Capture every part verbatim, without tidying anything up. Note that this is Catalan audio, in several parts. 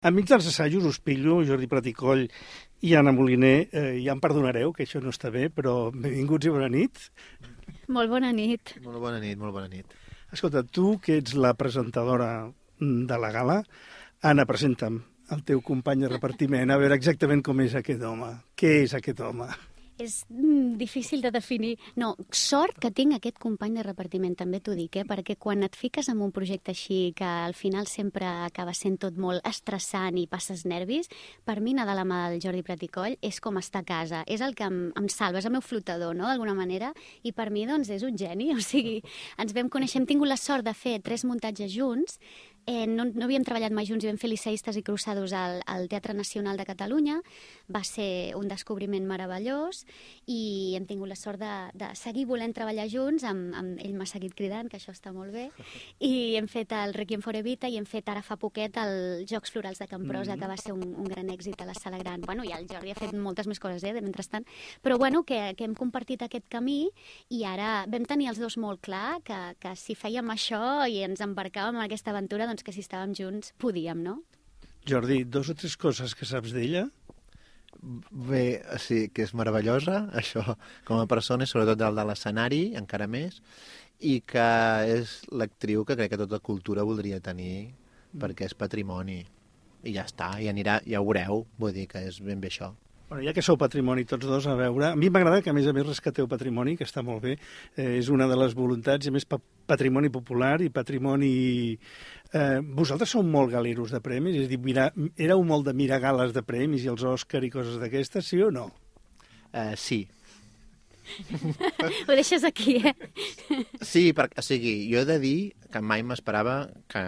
Enmig dels assajos us pillo, Jordi Prat i Coll i Anna Moliner, eh, ja em perdonareu que això no està bé, però benvinguts i bona nit. Molt bona nit. Molt bona nit, molt bona nit. Escolta, tu, que ets la presentadora de la gala, Anna, presenta'm el teu company de repartiment, a veure exactament com és aquest home. Què és aquest home? És mm, difícil de definir. No, sort que tinc aquest company de repartiment, també t'ho dic, eh? Perquè quan et fiques en un projecte així, que al final sempre acaba sent tot molt estressant i passes nervis, per mi anar de la mà del Jordi Prat i Coll és com estar a casa, és el que em, em salva, és el meu flotador, no?, d'alguna manera, i per mi, doncs, és un geni, o sigui, ens vam conèixer, hem tingut la sort de fer tres muntatges junts. Eh, no, no havíem treballat mai junts i vam fer Liceistes i Cruzados al, al Teatre Nacional de Catalunya. Va ser un descobriment meravellós i hem tingut la sort de, de seguir volent treballar junts. Amb, amb ell m'ha seguit cridant, que això està molt bé. I hem fet el Requiem for Evita i hem fet ara fa poquet el Jocs Florals de Camprosa, que va ser un, un gran èxit a la Sala Gran. Bueno, i el Jordi ha fet moltes més coses, eh, de mentrestant. Però bueno, que, que hem compartit aquest camí i ara vam tenir els dos molt clar que, que si fèiem això i ens embarcàvem en aquesta aventura, doncs que si estàvem junts podíem, no? Jordi, dos o tres coses que saps d'ella? Bé, sí, que és meravellosa, això, com a persona, i sobretot del de l'escenari, encara més, i que és l'actriu que crec que tota cultura voldria tenir, perquè és patrimoni. I ja està, i anirà, ja ho veureu, vull dir que és ben bé això. Bueno, ja que sou patrimoni tots dos, a veure, a mi m'agrada que a més a més rescateu patrimoni, que està molt bé, eh, és una de les voluntats, i a més pa patrimoni popular i patrimoni... Eh, vosaltres sou molt galeros de premis, és a dir, mira, éreu molt de mirar gales de premis i els Òscar i coses d'aquestes, sí o no? Uh, sí. Ho deixes aquí, eh? Sí, perquè, o sigui, jo he de dir que mai m'esperava que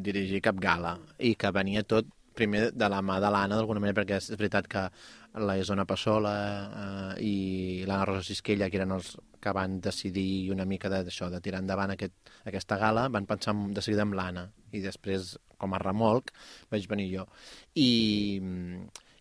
dirigir cap gala i que venia tot primer de la mà de l'Anna, d'alguna manera, perquè és veritat que la Isona Passola eh, i l'Anna Rosa Sisquella, que eren els que van decidir una mica d'això, de tirar endavant aquest, aquesta gala, van pensar de seguida amb l'Anna, i després, com a remolc, vaig venir jo. I...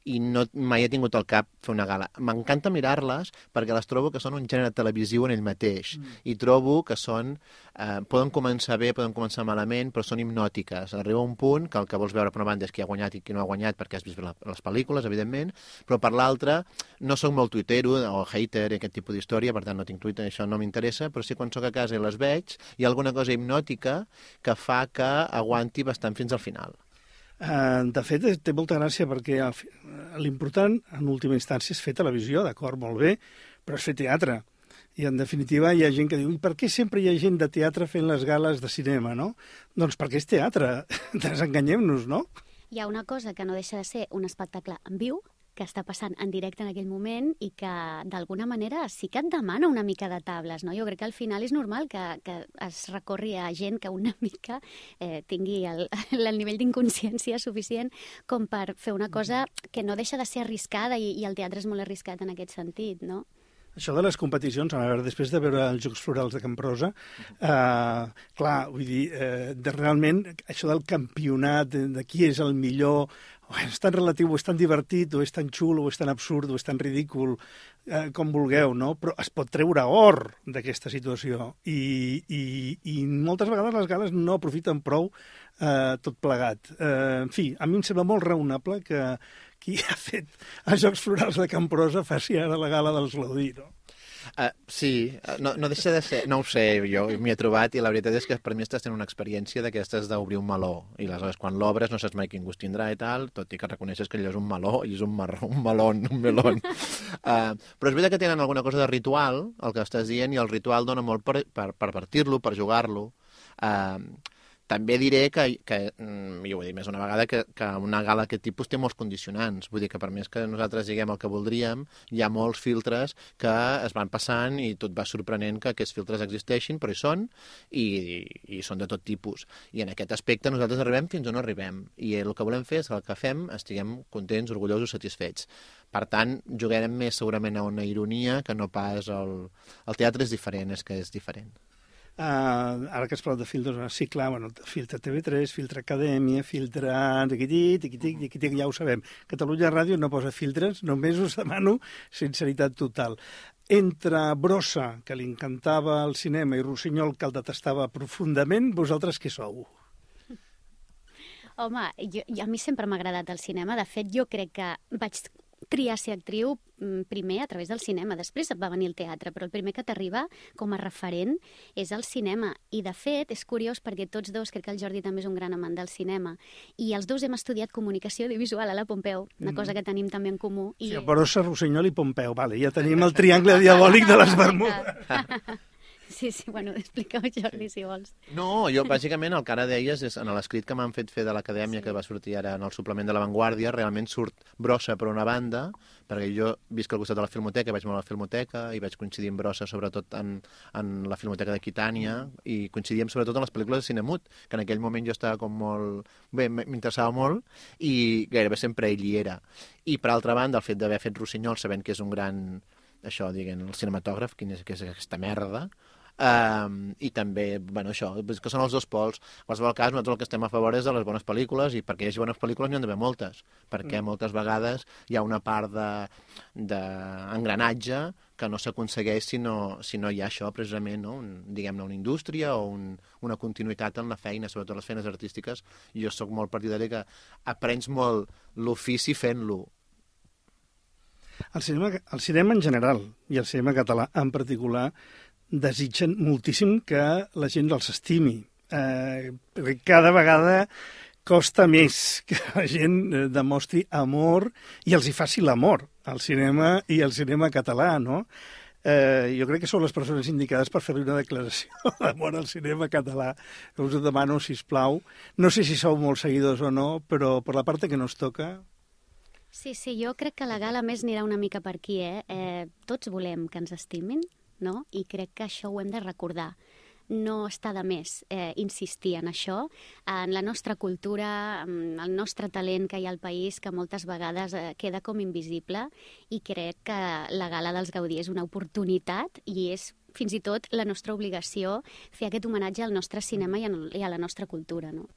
i no, mai he tingut al cap fer una gala. M'encanta mirar-les perquè les trobo que són un gènere televisiu en ell mateix, mm. i trobo que són, eh, poden començar bé, poden començar malament, però són hipnòtiques. Arriba un punt que el que vols veure per una banda és qui ha guanyat i qui no ha guanyat, perquè has vist la, les pel·lícules, evidentment, però per l'altra no soc molt tuitero o hater i aquest tipus d'història, per tant no tinc Twitter, això no m'interessa, però sí quan sóc a casa i les veig, hi ha alguna cosa hipnòtica que fa que aguanti bastant fins al final. Uh, de fet, té molta gràcia perquè l'important, en última instància, és fer televisió, d'acord, molt bé, però és fer teatre. I, en definitiva, hi ha gent que diu, i per què sempre hi ha gent de teatre fent les gales de cinema, no? Doncs perquè és teatre, desenganyem-nos, no? Hi ha una cosa que no deixa de ser un espectacle en viu, que està passant en directe en aquell moment i que, d'alguna manera, sí que et demana una mica de tables, no? Jo crec que al final és normal que, que es recorri a gent que una mica eh, tingui el, el nivell d'inconsciència suficient com per fer una cosa que no deixa de ser arriscada i, i el teatre és molt arriscat en aquest sentit, no? Això de les competicions, a veure, després de veure els Jocs Florals de Camprosa, eh, clar, vull dir, eh, de realment, això del campionat, de, de qui és el millor, oh, és tan relatiu, o és tan divertit, o és tan xulo, o és tan absurd, o és tan ridícul, eh, com vulgueu, no? Però es pot treure or d'aquesta situació. I, i, i moltes vegades les gales no aprofiten prou eh, tot plegat. Eh, en fi, a mi em sembla molt raonable que qui ha fet els Jocs Florals de Camprosa faci ara la gala dels Gaudí, no? Uh, sí, no, no deixa de ser... No ho sé, jo m'hi he trobat i la veritat és que per mi estàs tenint una experiència d'aquestes d'obrir un meló. I aleshores, quan l'obres, no saps mai quin gust tindrà i tal, tot i que reconeixes que allò és un meló i és un, marró, un melón, un melón. Uh, però és veritat que tenen alguna cosa de ritual, el que estàs dient, i el ritual dona molt per, per, per partir-lo, per jugar-lo. Uh, També diré que, que jo ho he dit més una vegada, que, que una gala d'aquest tipus té molts condicionants. Vull dir que per més que nosaltres diguem el que voldríem, hi ha molts filtres que es van passant i tot va sorprenent que aquests filtres existeixin, però hi són i, i, i són de tot tipus. I en aquest aspecte nosaltres arribem fins on arribem. I el que volem fer és que el que fem estiguem contents, orgullosos, satisfets. Per tant, jugarem més segurament a una ironia que no pas el, el teatre és diferent, és que és diferent. Uh, ara que has parlat de filtres, sí, clar, bueno, filtre T V tres, filtre Acadèmia, filtre tiquitit, tiquitit, tiquitit, ja ho sabem. Catalunya Ràdio no posa filtres, només us demano sinceritat total. Entre Brossa, que li encantava el cinema, i Rossinyol, que el detestava profundament, vosaltres què sou? Home, jo, jo, a mi sempre m'ha agradat el cinema. De fet, jo crec que vaig triar ser actriu primer a través del cinema. Després va venir el teatre, però el primer que t'arriba com a referent és el cinema. I, de fet, és curiós perquè tots dos, crec que el Jordi també és un gran amant del cinema, i els dos hem estudiat comunicació audiovisual a la Pompeu, una cosa que tenim també en comú. I... Sí, Barossa, Rossinyol i Pompeu, vale, ja tenim el triangle diabòlic de les Bermudes. Sí, sí, bueno, explica-ho, Jordi, si vols. No, jo, bàsicament, el que ara deies és en l'escrit que m'han fet fer de l'Acadèmia, sí, que va sortir ara en el suplement de La Vanguardia, realment surt Brossa per una banda, perquè jo visc al costat de la Filmoteca, vaig molt a la Filmoteca i vaig coincidir amb Brossa sobretot en, en la Filmoteca d'Aquitània, i coincidíem sobretot en les pel·lícules de Cinemut, que en aquell moment jo estava com molt... Bé, m'interessava molt i gairebé sempre ell hi era. I, per altra banda, el fet d'haver fet Rossinyol, sabent que és un gran... això, diguem, el cinematògraf, quin és, que és aquesta merda, Um, i també, bueno, això, que són els dos pols. En qualsevol cas, nosaltres el que estem a favor és de les bones pel·lícules, i perquè hi hagi bones pel·lícules n'hi ha d'haver moltes, perquè mm. moltes vegades hi ha una part d'engranatge de, que no s'aconsegueix si, no, si no hi ha això, precisament, no? un, diguem-ne, una indústria o un, una continuïtat en la feina, sobretot les feines artístiques. Jo sóc molt partidari que aprens molt l'ofici fent-lo. El cinema, el cinema en general, i el cinema català en particular, desitgen moltíssim que la gent els estimi. Eh, perquè cada vegada costa més que la gent demostri amor i els hi faci l'amor al cinema i al cinema català, no? Eh, jo crec que són les persones indicades per fer-li una declaració d'amor al cinema català. Us ho demano, sisplau. No sé si sou molt seguidors o no, però per la part que no us toca... Sí, sí, jo crec que la gala més anirà una mica per aquí, eh? eh tots volem que ens estimin, no? I crec que això ho hem de recordar. No està de més eh, insistir en això, en la nostra cultura, en el nostre talent que hi ha al país, que moltes vegades eh, queda com invisible, i crec que la Gala dels Gaudí és una oportunitat i és fins i tot la nostra obligació fer aquest homenatge al nostre cinema i a la nostra cultura, no?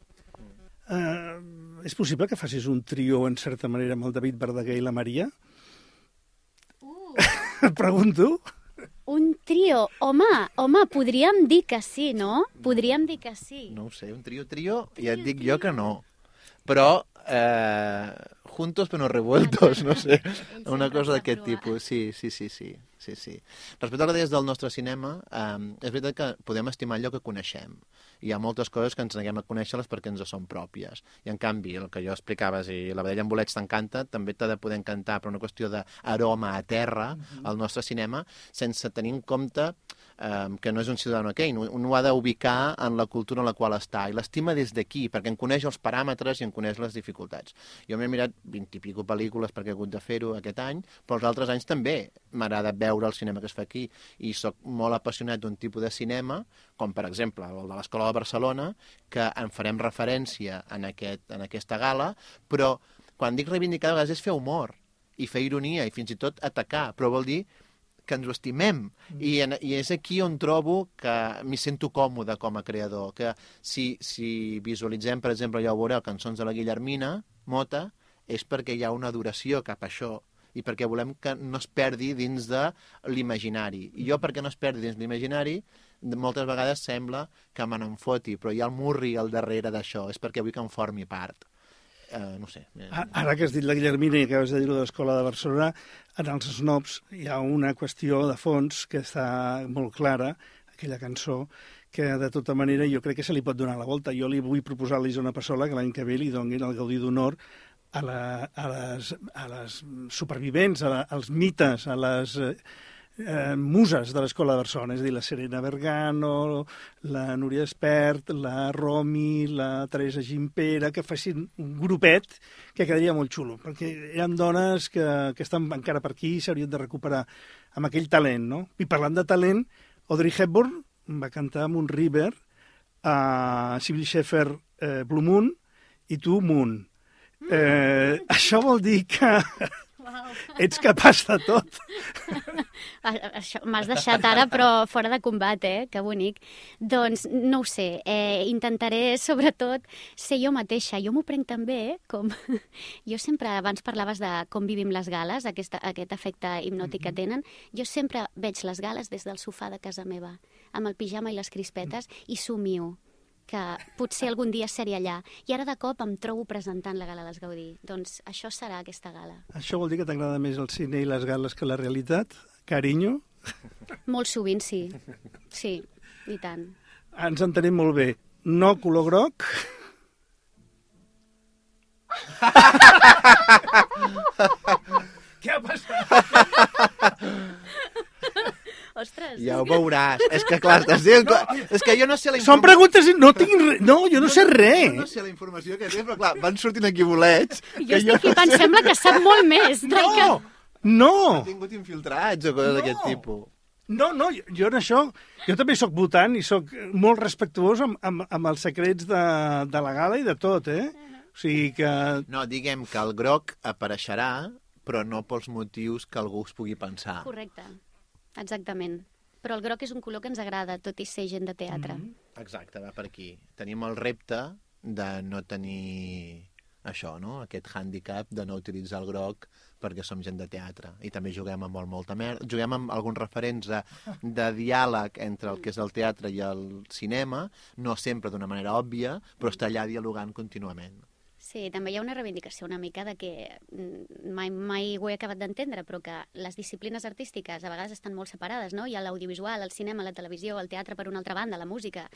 Uh, és possible que facis un trio, en certa manera, amb el David Verdaguer i la Maria? Uh. Et pregunto. Un trio? Home, home, podríem dir que sí, no? Podríem dir que sí. No ho sé, un trio-trio, ja et dic jo que no. Però, eh, juntos però no revueltos, no sé, una cosa d'aquest tipus. Sí, sí, sí, sí, sí, sí. Respecte al que deies del nostre cinema, eh, és veritat que podem estimar allò que coneixem. Hi ha moltes coses que ens neguem a conèixer-les perquè ens són pròpies. I, en canvi, el que jo explicaves, i la vedella en bolets t'encanta, també t'ha de poder encantar per una qüestió d'aroma a terra, al uh-huh. nostre cinema, sense tenir en compte eh, que no és un ciutadà aquell. Un ho ha d'ubicar en la cultura en la qual està, i l'estima des d'aquí, perquè en coneix els paràmetres i en coneix les dificultats. Jo m'he mirat vint i pico pel·lícules perquè he hagut de fer-ho aquest any, però els altres anys també m'agrada veure el cinema que es fa aquí, i sóc molt apassionat d'un tipus de cinema, com per exemple el de l'Escola de Barcelona, que en farem referència en, aquest, en aquesta gala, però quan dic reivindicar, a vegades és fer humor, i fer ironia, i fins i tot atacar, però vol dir que ens ho estimem. Mm. I, en, I és aquí on trobo que m'hi sento còmode com a creador, que si, si visualitzem, per exemple, ja ho veureu, cançons de la Guillermina Mota, és perquè hi ha una adoració cap a això, i perquè volem que no es perdi dins de l'imaginari. I jo, perquè no es perdi dins l'imaginari, moltes vegades sembla que me n'en foti, però hi ha el murri al darrere d'això, és perquè vull que en formi part. Uh, no sé. Ara que has dit la Guillermina i acabes de dir-ho de l'Escola de Barcelona, en els snobs hi ha una qüestió de fons que està molt clara, aquella cançó, que de tota manera jo crec que se li pot donar la volta. Jo li vull proposar a l'Isona Passola que l'any que ve li donin el Gaudí d'Honor a, la, a, les, a les supervivents, a la, als mites, a les... Eh, muses de l'Escola de Barcelona, és a dir, la Serena Bergano, la Núria Espert, la Romi, la Teresa Gimpera, que facin un grupet que quedaria molt xulo, perquè hi ha dones que, que estan encara per aquí i s'haurien de recuperar amb aquell talent, no? I parlant de talent, Audrey Hepburn va cantar amb un River a Sybil Shepherd eh, Blue Moon i tu Moon. Eh, això vol dir que wow. ets capaç de tot. M'has deixat ara, però fora de combat, eh? Que bonic. Doncs no ho sé, eh, intentaré sobretot ser jo mateixa. Jo m'ho prenc també, eh? Com... Jo sempre, abans parlaves de com vivim les gales, aquest, aquest efecte hipnòtic que tenen. Jo sempre veig les gales des del sofà de casa meva, amb el pijama i les crispetes, i somio. que potser algun dia seré allà. I ara de cop em trobo presentant la Gala dels Gaudí. Doncs això serà aquesta gala. Això vol dir que t'agrada més el cine i les gales que la realitat? Carinyo? Molt sovint, sí. Sí, i tant. Ens entenem molt bé. No color groc. Què ha passat? Ostres. Ja ho veuràs. És que, clar, estàs dient... No. És que jo no sé la informació... Són preguntes... No tinc res... No, jo no, no sé res. Jo no sé la informació que tens, però clar, van sortint aquí bolets... Jo estic jo flipant, no sé... sembla que sap molt més. No, que... no. Ha tingut infiltrats o coses no. d'aquest tipus. No, no, jo, jo en això... Jo també sóc votant i sóc molt respectuós amb, amb, amb els secrets de, de la gala i de tot, eh? O sigui que... No, diguem que el groc apareixerà, però no pels motius que algú es pugui pensar. Correcte. Exactament. Però el groc és un color que ens agrada, tot i ser gent de teatre. Mm-hmm. Exacte, va per aquí. Tenim el repte de no tenir això, no? Aquest hàndicap de no utilitzar el groc perquè som gent de teatre. I també juguem amb molt, molta merda. Juguem amb alguns referents de, de diàleg entre el que és el teatre i el cinema, no sempre d'una manera òbvia, però està allà dialogant contínuament. Sí, també hi ha una reivindicació una mica de que mai, mai ho he acabat d'entendre, però que les disciplines artístiques a vegades estan molt separades, no? Hi ha l'audiovisual, el cinema, la televisió, el teatre per una altra banda, la música,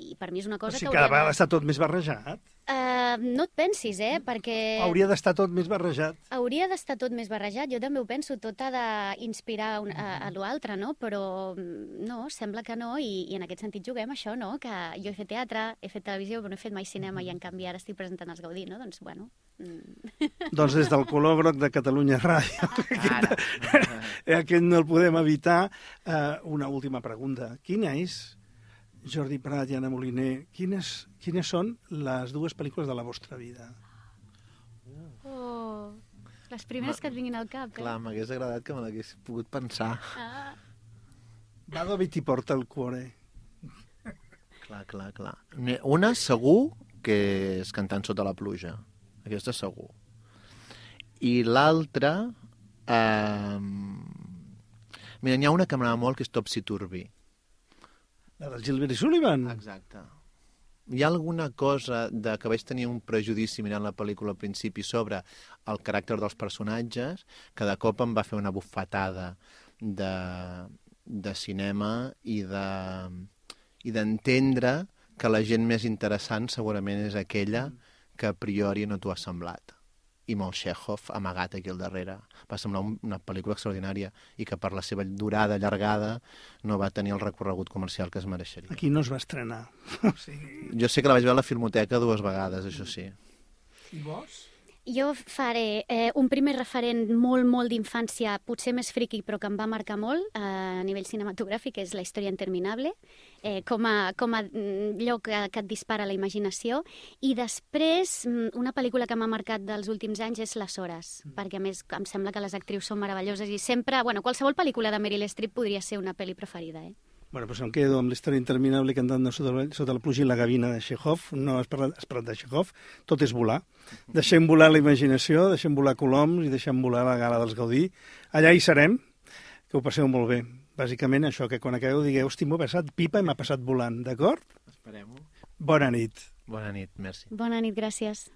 i per mi és una cosa o sigui, que... cada vegada està tot més barrejat. Uh, no et pensis, eh? Perquè... Hauria d'estar tot més barrejat. Hauria d'estar tot més barrejat, jo també ho penso, tot ha d'inspirar a, a l'altre, no? Però no, sembla que no, i, i en aquest sentit juguem això, no? Que jo he fet teatre, he fet televisió, però no he fet mai cinema, i en canvi ara estic presentant els Gaudí, no? Doncs, bueno... Mm. Doncs des del color groc de Catalunya Ràdio, aquest, aquest no el podem evitar. Uh, una última pregunta. Quina és, Jordi Prat i Anna Moliner, quines, quines són les dues pel·lícules de la vostra vida? Oh, les primeres Ma, que et vinguin al cap, eh? Clar, m'hagués agradat que me l'hagués pogut pensar. Ah. Va dove ti porta el cuore. Clar, clar, clar. Una, segur, que és Cantant sota la pluja. Aquesta segur. I l'altra... Eh... Mira, n'hi ha una que m'agrada molt, que és Topsy Turvy. La del Gilbert i Sullivan? Exacte. Hi ha alguna cosa de que vaig tenir un prejudici mirant la pel·lícula al principi sobre el caràcter dels personatges, que de cop em va fer una bufetada de, de cinema i de i d'entendre que la gent més interessant segurament és aquella que a priori no t'ho ha semblat. I molt Chekhov amagat aquí al darrere. Va semblar un, una pel·lícula extraordinària i que per la seva durada allargada no va tenir el recorregut comercial que es mereixeria. Aquí no es va estrenar. O sigui... Jo sé que la vaig veure a la Filmoteca dues vegades, això sí. I vos? Jo faré eh, un primer referent molt, molt d'infància, potser més friqui, però que em va marcar molt eh, a nivell cinematogràfic, és La història interminable, eh, com a, com a lloc que, que et dispara la imaginació. I després, una pel·lícula que m'ha marcat dels últims anys és Les hores, mm. perquè a més em sembla que les actrius són meravelloses i sempre, bueno, qualsevol pel·lícula de Meryl Streep podria ser una pel·li preferida, eh? Bueno, doncs em quedo amb La història interminable cantant sota, sota la pluja i la gavina de Chekhov. No has parlat, has parlat de Chekhov. Tot és volar. Deixem volar la imaginació, deixem volar coloms i deixem volar la gala dels Gaudí. Allà hi serem. Que ho passeu molt bé. Bàsicament això, que quan acabeu digueu, hosti, m'ho he passat pipa i m'ha passat volant, d'acord? Esperem-ho. Bona nit. Bona nit, merci. Bona nit, gràcies.